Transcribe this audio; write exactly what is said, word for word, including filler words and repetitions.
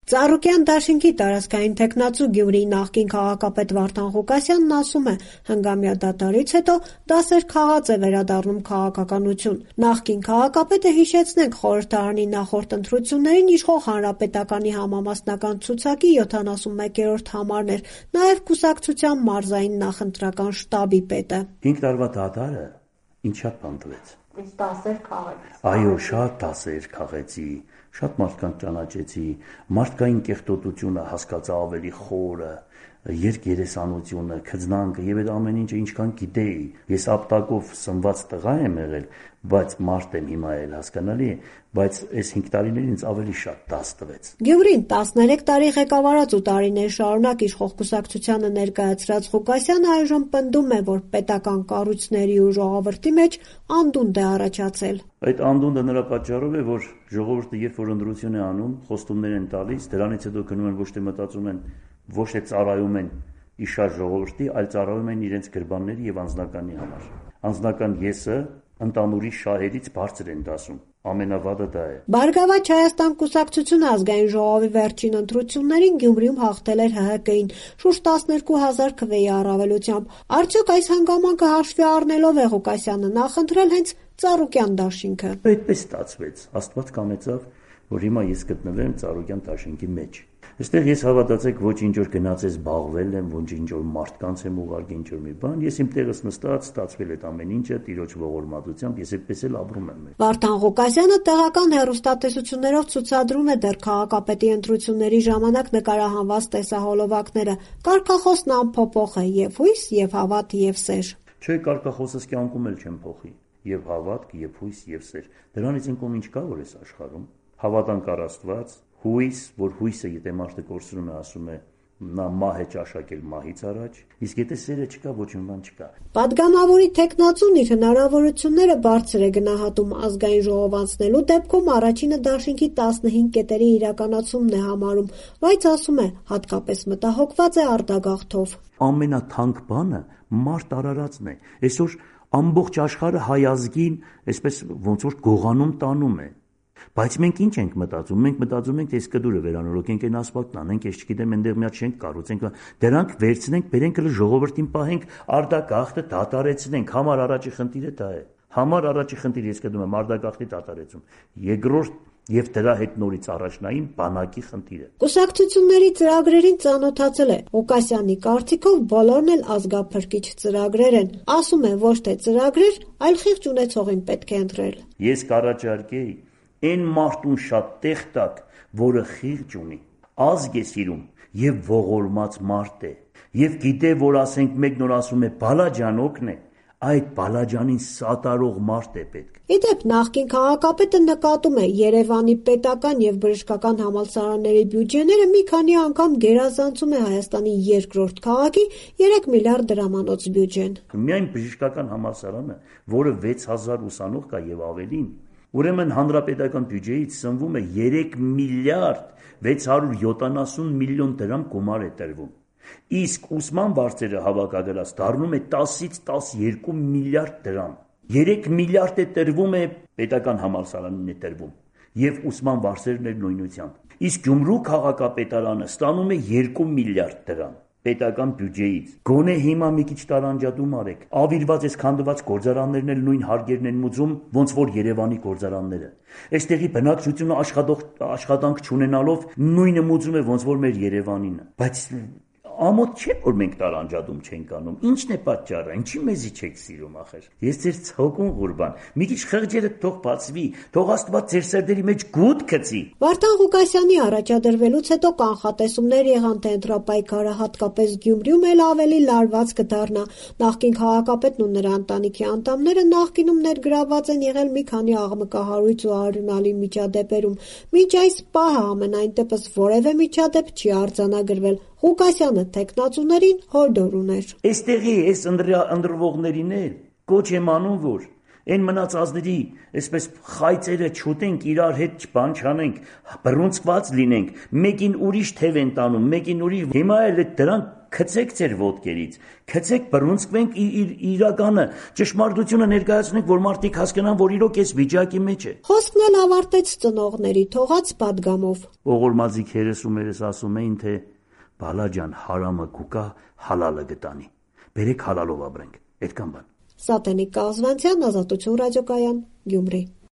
Ծառուկյան դաշինքի տարածքային թեկնածու Գյումրիի նախկին քաղաքապետ Վարդան Ղուկասյանն ասում է, հնգամյա դադարից հետո դասեր քաղած է վերադառնում քաղաքականություն։ Նախկին քաղաքապետը, հիշեցնենք, խորհրդարանի նախորդ ընտրություններին իշխող Հանրապետականի համամասնական ցուցակի յոթանասունմեկերորդ համարն էր, նաև կուսակցության մարզային նախընտրական շտաբի պետը։ Հինգ տարվա դադարը ինչ շատ բան տվեց։ Դասեր քաղեց։ Այո, շատ դասեր քաղեցի, շատ մարդկանց ճանաչեցի, մարդկային կեղտոտությունը հասկացա ավելի խորը, երկերեսանությունը, քծնանքը եւ այդ ամեն ինչը ինչքան գիտեի։ Ես ապտակով սնված տղա եմ եղել, բայց մարդ եմ հիմա էլ, հասկանալի է, բայց այս հինգ տարիներին ինձ ավելի շատ դաս տվեց։ Գյումրին տասներեք տարի ղեկավարած ու տարիներ շարունակ իշխող կուսակցությանը ներկայացրած Ղուկասյանը այժմ պնդում է, որ պետական կառույցների ու ժողովրդի մեջ անդունդ է առաջացել։ Այդ անդունդը նրա պատճառով է, որ ժողովուրդը երբ որ ընտրություն է անում, խոստումներ են տալիս, դրանից հետո գնում են ոչ թե մտածում են, ոչ թե ծառայում են իշար ժողովրդի, այլ ծառայում են իրենց գրբանների եւ անձնականի համար։ Անձնական եսը ընդանուրի շահերից բարձր են դասում։ Ամենավատը դա է։ Բարգավաճ Հայաստան կուսակցությունը ազգային ժողովի վերջին ընտրություններին Գյումրիում հաղթել էր Հ Հ Կ-ին շուրջ տասներկու հազար քվեի առավելությամբ։ Արդյոք այս հանգամանքը հաշվի առնելով է Ղուկասյանը նախընտրել հենց Ծառուկյան դաշինքը։ Այդպես ստացվեց։ Աստված կանեցավ, որ հիմա ես գտնվեմ Ծառուկյան դաշինքի մեջ։ Այստեղ ես հավատացեք ոչ ինչ որ գնացես զբաղվել եմ, ոչ ինչ որ մարդկանց եմ ուղարկի ինչ որ մի բան, ես իմ տեղս նստած ստացվել այդ ամեն ինչը Տիրոջ ողորմածությամբ, ես այդպես էլ ապրում եմ։ Վարդան Ղուկասյանը տեղական հեռուստատեսություններով ցուցադրում է դեռ քաղաքապետի ընտրությունների ժամանակ նկարահանված տեսահոլովակները։ Կարգախոսն անփոփոխ է՝ եւ հույս, եւ հավատ, եւ սեր։ Չէ, կարգախոսս կյանքում էլ չեմ փոխի։ Եվ հավատք, եւ հույս, եւ սեր։ Դրանից ինքն ինչ կա որ էս աշխարհում։ Հավատանք առ Աստված, հույս, որ հույսը եթե մարդը կորցնում է, ասում է նա մահ է ճաշակել մահից առաջ, իսկ եթե սերը չկա, ոչ մի բան չկա։ Պատգամավորի թեկնածուն իր հնարավորությունները բարձր է գնահատում ազգային ժողով անցնելու դեպքում առաջինը դաշինքի տասնհինգ կետերի իրականացումն է համարում, բայց ասում է, հատկապես մտահոգված է արտագաղթով։ Ամենաթանկ բանը մարդ արարածն է։ Այսօր ամբողջ աշխարհը հայ ազգին այսպես ոնց որ գողանում տանում է։ Բայց մենք ինչ ենք մտածում։ Մենք մտածում ենք, թե այս կդուրը վերանորոգենք, այն ասֆալտն անենք, ես չգիտեմ, այնտեղ մի հատ շենք կառուցենք, դրանք վերցնենք, բերենք հələ ժողովրդին պահենք, արտագաղթը դատարեցնենք։ Համար առաջի խնդիրը դա է։ Համար առաջի խնդիրը ես կդում եմ արտագաղթի դատարեցում։ Երկրորդ եւ դրա հետ նորից առաջնային բանակի խնդիրը։ Կուսակցությունների ծրագրերին ծանոթացել է Ղուկասյանի կարծիքով բոլորն էլ ազգափրկիչ ծրագրեր են։ Ասում է ոչ թե ծրագրեր, այլ խիղճ ունեցողին պետք է ընտրել։ Ես կառաջարկեի այն մարդուն շատ տեղ տակ, որը խիղճ ունի, ազգ է սիրում եւ ողորմած մարդ է, եւ գիտե, որ ասենք մեկն որ ասում է բալաջան օգն է, այդ բալաջանին սատարող մարդ է պետք։ Իդեպ նախկին քաղաքապետը նկատում է Երևանի պետական եւ բժշկական համալսարանների բյուջեները մի քանի անգամ գերազանցում է Հայաստանի երկրորդ քաղաքի երեք միլիարդ դրամանոց բյուջեն։ Միայն բժշկական համալսարանը, որը վեց հազար ուսանող կա եւ ավելին, ուրեմն հանրապետական բյուջեից սնվում է երեք միլիարդ վեց հարյուր յոթանասուն միլիոն դրամ գումար է տրվում։ Իսկ ուսման վարձերը հավաքագրած դառնում է տասից տասներկու միլիարդ դրամ։ երեք միլիարդ է տրվում է պետական համալսարանին է տրվում եւ ուսման վարձերն էլ նույնությամբ։ Իսկ Գյումրու քաղաքապետարանը ստանում է երկու միլիարդ դրամ պետական բյուջեից։ Գոնե հիմա մի քիչ տարանջատում արեք։ Ավիրված այս քանդված գործարաններն էլ նույն հարգերն են մուծում, ոնց որ Երևանի գործարանները։ Այստեղի բնակչությունը աշխատանք չունենալով նույնը մուծում է ոնց որ մեր Երևանինը։ Բայց ամոթ չէ որ մենք տարանջատում չենք անում։ Ինչն է պատճառը։ Ինչի մեզի չեք սիրում ախր։ Ես ձեր ցողուն Ղուրբան։ Մի քիչ խղճերը թող բացվի, թող Աստված ձեր սերդերի մեջ գուտ գցի։ Վարդան Ղուկասյանի առաջադրվելուց հետո կանխատեսումներ եղան, թե ընտրապայքարը հատկապես Գյումրիում էլ ավելի լարված կդառնա։ Նախկին քաղաքապետն ու նրա ընտանիքի անդամները նախկինում ներգրավված են եղել մի քանի աղմկահարույց ու արյունալի միջադեպերում։ Մինչ այս պահը ամենայն դեպս որևէ միջադեպ չի արձանագրվել։ Ղուկասյանը թեկնածուներին հորդոր ուներ։ Այստեղի այս ընտրվողներին էլ կոչ եմ անում, որ այն մնացածների այսպես խայծերը չուտենք, իրար հետ բան չանենք, բռունցկված լինենք, մեկին ուրիշ թև են տանում, մեկին ուրիշ։ Հիմա էլ դրանք քցեք ձեր ոտքերից, քցեք, բռունցքվենք իր իրականը, ճշմարտությունը ներկայացնենք, որ մարդիկ հասկանան, որ իրոք այս վիճակի մեջ է։ Խոսքն էլ ավարտեց ծնողների թողած պատգամով։ Ողորմածի քերս ու մերս ասում էին, թե բալա ջան, հարամը կուկա, հալալը գտանի։ Բերեք հալալով ապրենք, այդքան բան։ Սատենիկ Կազվանցյան, Ազատություն ռադիոկայան, Գյումրի։